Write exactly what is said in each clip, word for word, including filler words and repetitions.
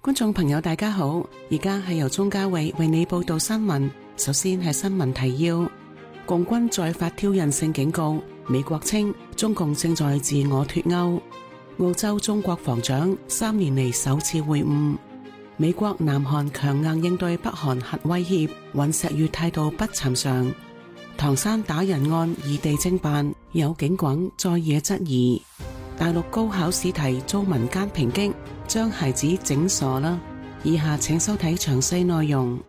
觀眾朋友大家好，而家係由鍾嘉慧為你報道新聞。首先係新聞提要：共軍再發挑釁性警告，美國稱中共正在自我脫歐。澳洲中國防長三年嚟首次會晤。美國南韓強硬應對北韓核威脅，尹錫悅態度不尋常。唐山打人案異地偵辦，有警棍再惹質疑。大陸高考試題遭民間抨擊，將孩子整傻啦。以下請收睇詳細內容。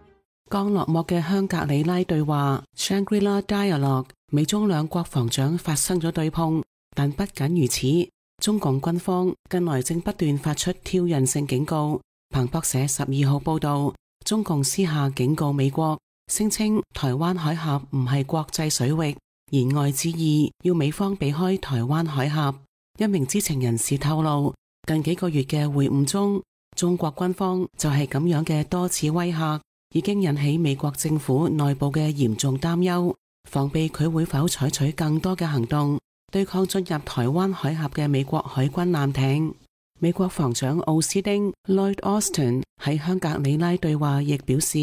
剛落幕嘅香格里拉對話 Shangri-La Dialogue， 美中兩國防長發生咗對碰，但不僅如此，中共軍方近來正不斷發出挑釁性警告。彭博社十二號報道，中共私下警告美國，聲稱台灣海峽唔係國際水域，言外之意要美方避開台灣海峽。一名知情人士透露，近幾個月嘅會晤中，中國軍方就係咁樣嘅多次威嚇，已經引起美國政府內部嘅嚴重擔憂，防備佢會否採取更多嘅行動，對抗進入台灣海峽嘅美國海軍艦艇。美國防長奧斯丁 Lloyd Austin 喺香格里拉對話亦表示，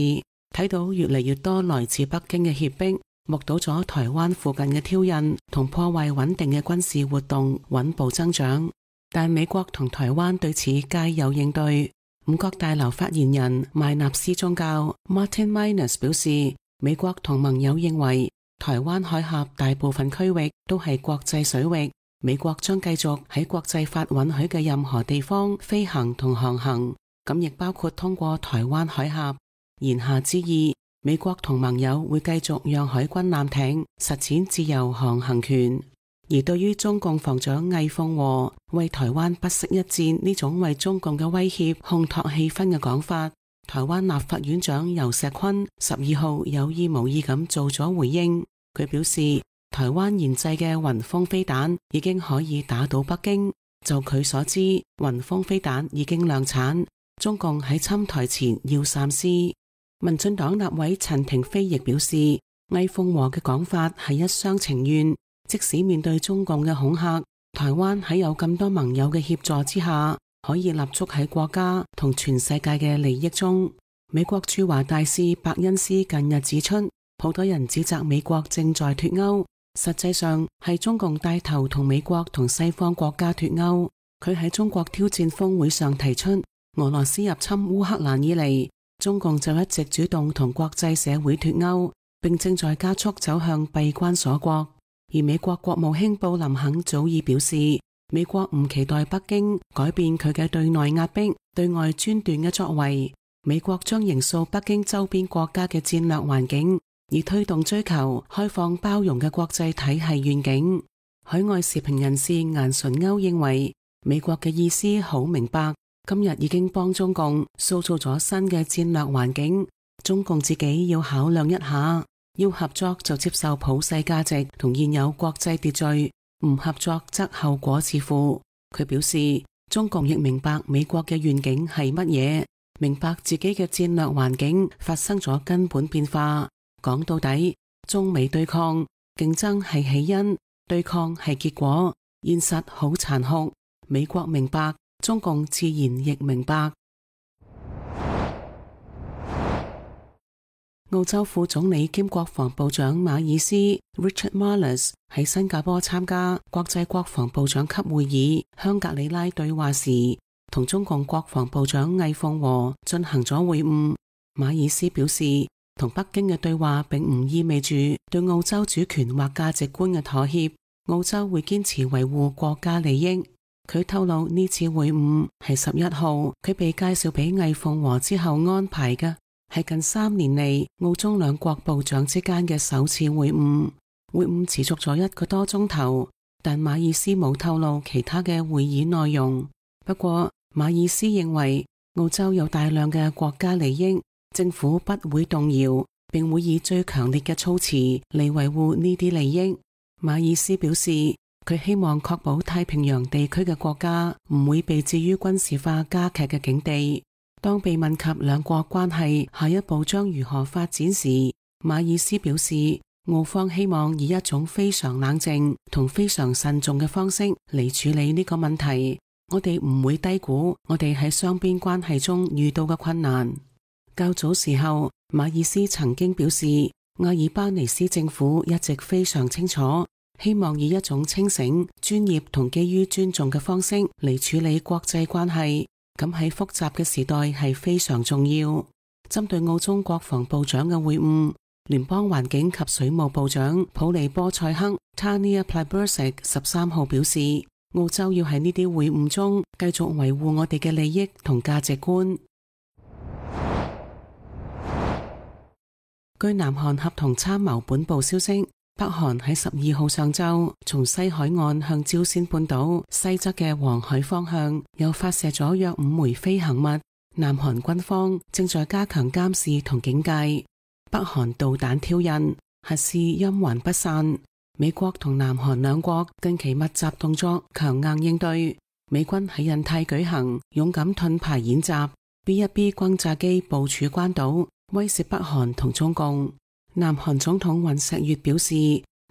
睇到越嚟越多來自北京嘅脅迫，目睹咗台灣附近嘅挑釁同破壞穩定嘅軍事活動穩步增長，但美國同台灣對此皆有應對。五角大樓發言人麥納斯宗教 Martin Minus 表示，美國同盟友認為台灣海峽大部分區域都係國際水域，美國將繼續喺國際法允許嘅任何地方飛行同航行，咁亦包括通過台灣海峽。言下之意，美國同盟友會繼續讓海軍艦艇實踐自由航行權。而對於中共防長魏鳳和為台灣不惜一戰呢種為中共嘅威脅烘托氣氛嘅講法，台灣立法院長游錫堃十二號有意無意咁做咗回應。佢表示，台灣研製嘅雲峰飛彈已經可以打到北京，就佢所知，雲峰飛彈已經量產，中共喺侵台前要三思。民進黨立委陳亭妃亦表示，魏鳳和嘅講法係一廂情願，即使面對中共嘅恐嚇，台灣喺有咁多盟友嘅協助之下，可以立足喺國家同全世界嘅利益中。美國駐華大使伯恩斯近日指出，好多人指責美國正在脫歐，實際上係中共帶頭同美國同西方國家脫歐。佢喺中國挑戰峰會上提出，俄羅斯入侵烏克蘭以嚟，中共就一直主動同國際社會脫歐，並正在加速走向閉關鎖國。而美國國務卿布林肯早已表示，美國唔期待北京改變佢嘅對內壓迫、對外專斷嘅作為。美國將營造北京周邊國家嘅戰略環境，以推動追求開放包容嘅國際體系願景。海外時評人士顏純歐認為，美國嘅意思好明白。今日已經幫中共塑造咗新嘅戰略環境，中共自己要考量一下，要合作就接受普世價值同現有國際秩序，唔合作則後果自負。佢表示，中共亦明白美國嘅願景係乜嘢，明白自己嘅戰略環境發生咗根本變化。講到底，中美對抗，競爭係起因，對抗係結果，現實好殘酷。美國明白，中共自然亦明白。澳洲副總理兼國防部長馬爾斯 Richard Marles 喺新加坡參加國際國防部長級會議香格里拉對話時，同中共國防部長魏鳳和進行咗會晤。馬爾斯表示，同北京嘅對話並唔意味住對澳洲主權或價值觀嘅妥協，澳洲會堅持維護國家利益。佢透露呢次會晤係十一號佢被介紹俾魏鳳和之後安排嘅，係近三年嚟澳中兩國部長之間嘅首次會晤。會晤持續咗一個多鐘頭，但馬爾斯冇透露其他嘅會議內容。不過馬爾斯認為澳洲有大量嘅國家利益，政府不會動搖，並會以最強烈嘅措辭嚟維護呢啲利益。馬爾斯表示，佢希望確保太平洋地區嘅國家唔會被置於軍事化加劇嘅境地。當被問及兩國關係下一步將如何發展時，馬爾斯表示，澳方希望以一種非常冷靜同非常慎重嘅方式嚟處理呢個問題。我哋唔會低估我哋喺雙邊關係中遇到嘅困難。較早時候，馬爾斯曾經表示，阿爾巴尼斯政府一直非常清楚，希望以一種清醒、專業同基於尊重嘅方式嚟處理國際關係，咁喺複雜嘅時代係非常重要。針對澳中國防部長嘅會晤，聯邦環境及水務部長普利波塞克 Tanya Plibersek 十三號表示，澳洲要喺呢啲會晤中繼續維護我哋嘅利益同價值觀。據南韓合同參謀本部消息，北韓喺十二號上晝從西海岸向朝鮮半島西側嘅黃海方向又發射咗約五枚飛行物。南韓軍方正在加強監視同警戒。北韓導彈挑釁，核試陰魂不散。美國同南韓兩國近期密集動作，強硬應對。美軍喺印太舉行勇敢盾牌演習 ，B 一 B 轟炸機部署關島，威懾北韓同中共。南韓總統尹錫悅表示，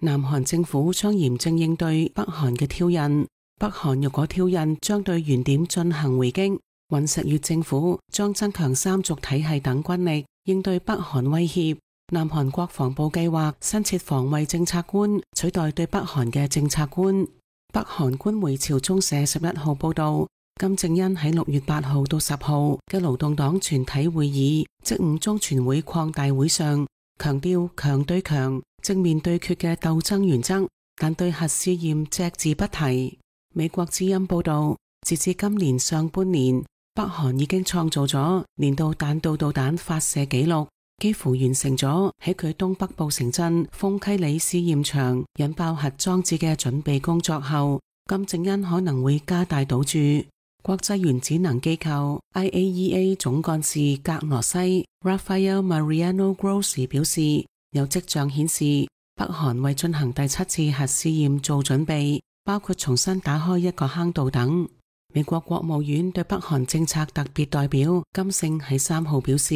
南韓政府將嚴正應對北韓嘅挑釁。北韓若果挑釁，將對原點進行回擊。尹錫悅政府將增強三軸體系等軍力，應對北韓威脅。南韓國防部計劃新設防衛政策官，取代對北韓嘅政策官。北韓官媒朝中社十一號報道，金正恩喺六月八號到十號嘅勞動黨全體會議，即五中全會擴大會上，強調強對強、正面對決嘅鬥爭原則，但對核試驗隻字不提。美國之音報道，截至今年上半年，北韓已經創造咗年度彈道導彈發射紀錄，幾乎完成咗喺佢東北部城鎮豐溪里試驗場引爆核裝置嘅準備工作後，金正恩可能會加大賭注。國際原子能機構 I A E A 總幹事格羅西 Rafael Mariano Grossi 表示，有跡象顯示北韓為進行第七次核試驗做準備，包括重新打開一個坑道等。美國國務院對北韓政策特別代表金勝喺三號表示，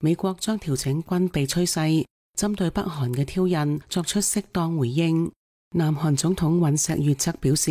美國將調整軍備趨勢，針對北韓嘅挑釁作出適當回應。南韓總統尹錫悅則表示，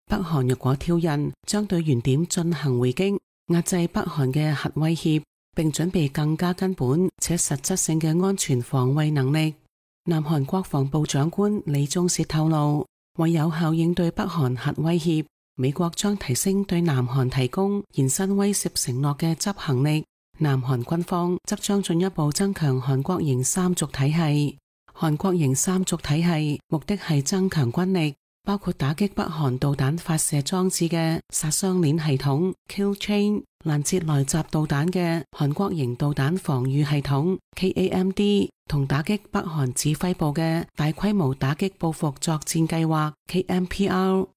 北韓若果挑釁，將對原點進行回擊，壓制北韓嘅核威脅，並準備更加根本且實質性嘅安全防衛能力。南韓國防部長官李鐘燮透露，為有效應對北韓核威脅，美國將提升對南韓提供延伸威懾承諾嘅執行力。南韓軍方則將進一步增強韓國型三軸體系。韓國型三軸體系目的係增強軍力，包括打擊北韓導彈發射裝置嘅殺傷鏈系統 Kill Chain， 攔截來襲導彈嘅韓國型導彈防禦系統 K A M D， 同打擊北韓指揮部嘅大規模打擊報復作戰計劃 K M P R。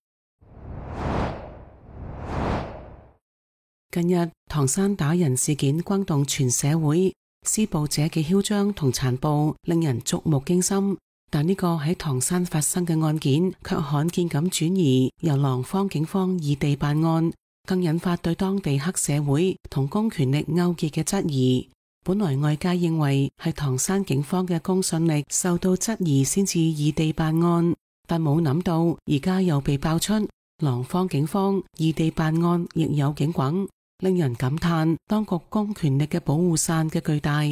近日唐山打人事件轟動全社會，施暴者嘅囂張同殘暴令人觸目驚心，但呢個喺唐山發生嘅案件卻罕見咁轉移由廊坊警方異地辦案，更引發對當地黑社會同公權力勾結嘅質疑。本來外界認為係唐山警方嘅公信力受到質疑先至異地辦案，但冇諗到而家又被爆出廊坊警方異地辦案亦有警棍，令人感嘆當局公權力嘅保護傘嘅巨大。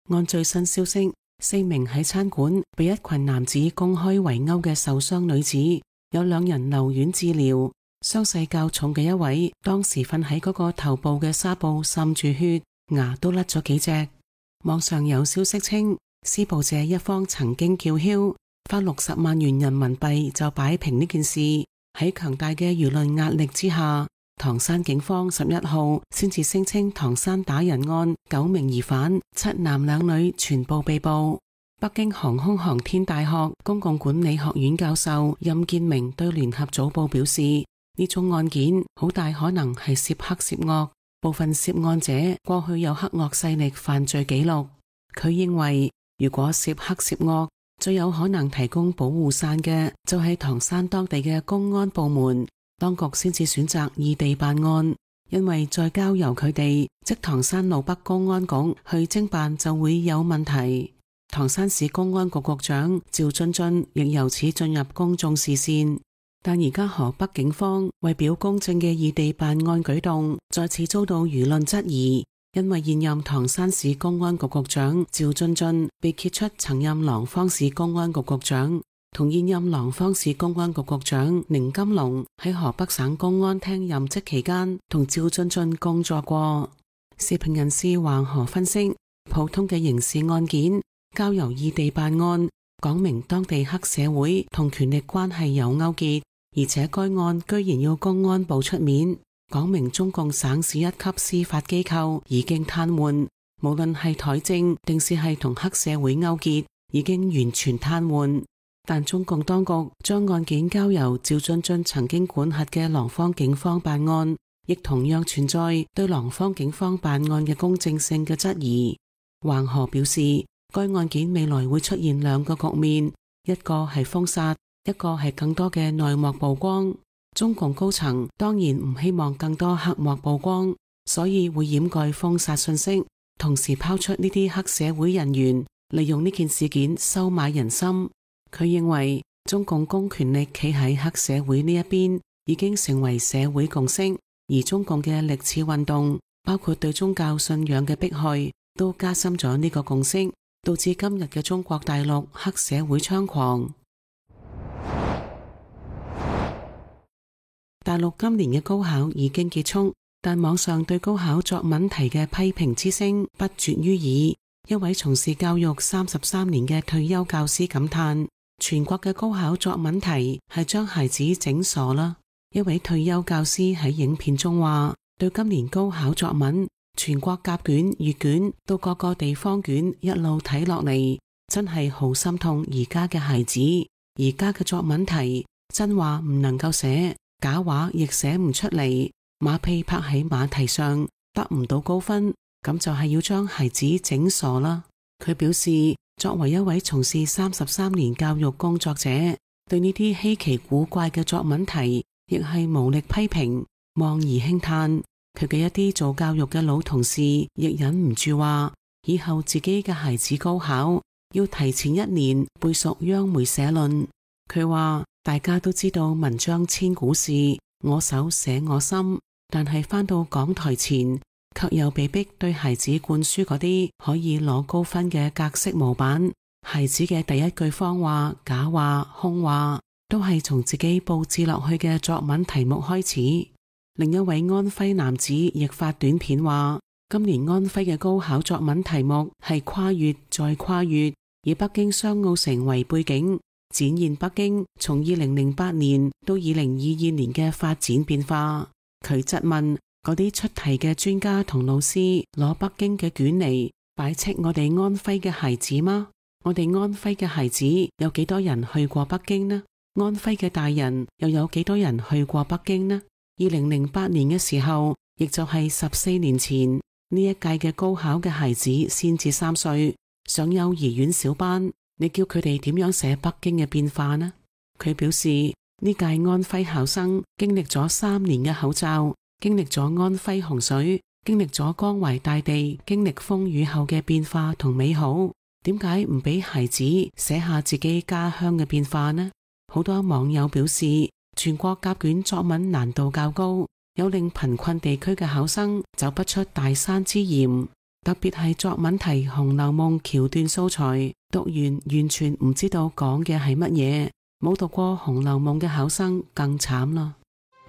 按最新消息，四名喺餐館被一群男子公開圍毆嘅受傷女子，有兩人留院治療，傷勢較重嘅一位當時瞓喺嗰個頭部嘅紗布滲住血，牙都甩咗幾隻。網上有消息稱，施暴者一方曾經叫囂，花六十萬元人民幣就擺平呢件事。喺強大嘅輿論壓力之下，唐山警方十一號先至聲稱唐山打人案九名疑犯，七男兩女全部被捕。北京航空航天大學公共管理學院教授任建明對聯合早報表示，呢宗案件好大可能係涉黑涉惡，部分涉案者過去有黑惡勢力犯罪記錄。佢認為，如果涉黑涉惡，最有可能提供保護傘嘅就係唐山當地嘅公安部門。當局先至選擇異地辦案，因為再交由佢哋，即唐山路北公安局去偵辦就會有問題。唐山市公安局局長趙津津亦由此進入公眾視線。但而家河北警方為表公正嘅異地辦案舉動，再次遭到輿論質疑，因為現任唐山市公安局局長趙俊俊被揭出曾任廊坊市公安局局長，同現任廊坊市公安局局長寧金龍喺河北省公安廳任職期間同趙俊俊工作過。時評人士橫河分析，普通嘅刑事案件交由異地辦案，講明當地黑社會同權力關係有勾結，而且該案居然要公安部出面，講明中共省市一級司法機構已經癱瘓，無論係台政定是係同黑社會勾結，已經完全癱瘓。但中共當局將案件交由趙俊俊曾經管轄嘅廊坊警方辦案，亦同樣存在對廊坊警方辦案嘅公正性嘅質疑。橫河表示，該案件未來會出現兩個局面，一個係封殺，一個係更多嘅內幕曝光。中共高層當然唔希望更多黑幕曝光，所以會掩蓋封殺信息，同時拋出呢啲黑社會人員利用呢件事件收買人心。佢認為中共公權力企喺黑社會呢一邊已經成為社會共識，而中共嘅歷次運動，包括對宗教信仰嘅迫害，都加深咗呢個共識，導致今日嘅中國大陸黑社會猖狂。大陸今年嘅高考已經結束，但網上對高考作文題嘅批評之聲不絕於耳。一位從事教育三十三年嘅退休教師感嘆，全國嘅高考作文題係將孩子整傻啦。一位退休教師喺影片中話，對今年高考作文，全國甲卷、乙卷到各個地方卷一路睇落嚟，真係好心痛而家嘅孩子。而家嘅作文題，真話唔能夠寫，假話亦寫唔出嚟，馬屁拍喺馬蹄上，得唔到高分，咁就係要將孩子整傻啦。佢表示，作為一位從事三十三年教育工作者，對呢啲稀奇古怪嘅作文題，亦係無力批評，望而輕嘆。佢嘅一啲做教育嘅老同事，亦忍唔住話，以後自己嘅孩子高考，要提前一年背熟央媒社論。佢話，大家都知道文章千古事，我手寫我心，但係返到講台前，卻又被逼對孩子灌輸嗰啲可以攞高分嘅格式模板。孩子嘅第一句謊話、假話、空話，都係從自己佈置落去嘅作文題目開始。另一位安徽男子亦發短片話，今年安徽嘅高考作文題目係跨越再跨越，以北京雙奧城為背景，展現北京從二零零八年到二零二二年嘅發展變化。佢質問嗰啲出題嘅專家同老師，攞北京嘅卷嚟擺斥我哋安徽嘅孩子嗎？我哋安徽嘅孩子有幾多人去過北京呢？安徽嘅大人又有幾多人去過北京呢？二零零八年嘅時候，亦就係十四年前，呢一屆嘅高考嘅孩子先至三歲，上幼兒園小班，你叫佢哋點樣寫北京嘅變化呢？佢表示，呢屆安徽考生經歷咗三年嘅口罩，經歷咗安徽洪水，經歷咗江淮大地，經歷風雨後嘅變化同美好，點解唔俾孩子寫下自己家鄉嘅變化呢？好多網友表示，全國甲卷作文難度較高，有令貧困地區嘅考生走不出大山之鹽。特別係作文題《紅樓夢》橋段素材，讀完完全唔知道講嘅係乜嘢。冇讀過《紅樓夢》嘅考生更慘啦。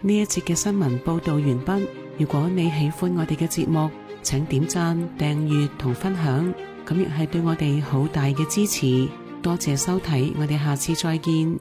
呢一節嘅新聞報道完畢。如果你喜歡我哋嘅節目，請點讚、訂閱同分享，咁亦係對我哋好大嘅支持。多謝收睇，我哋下次再見。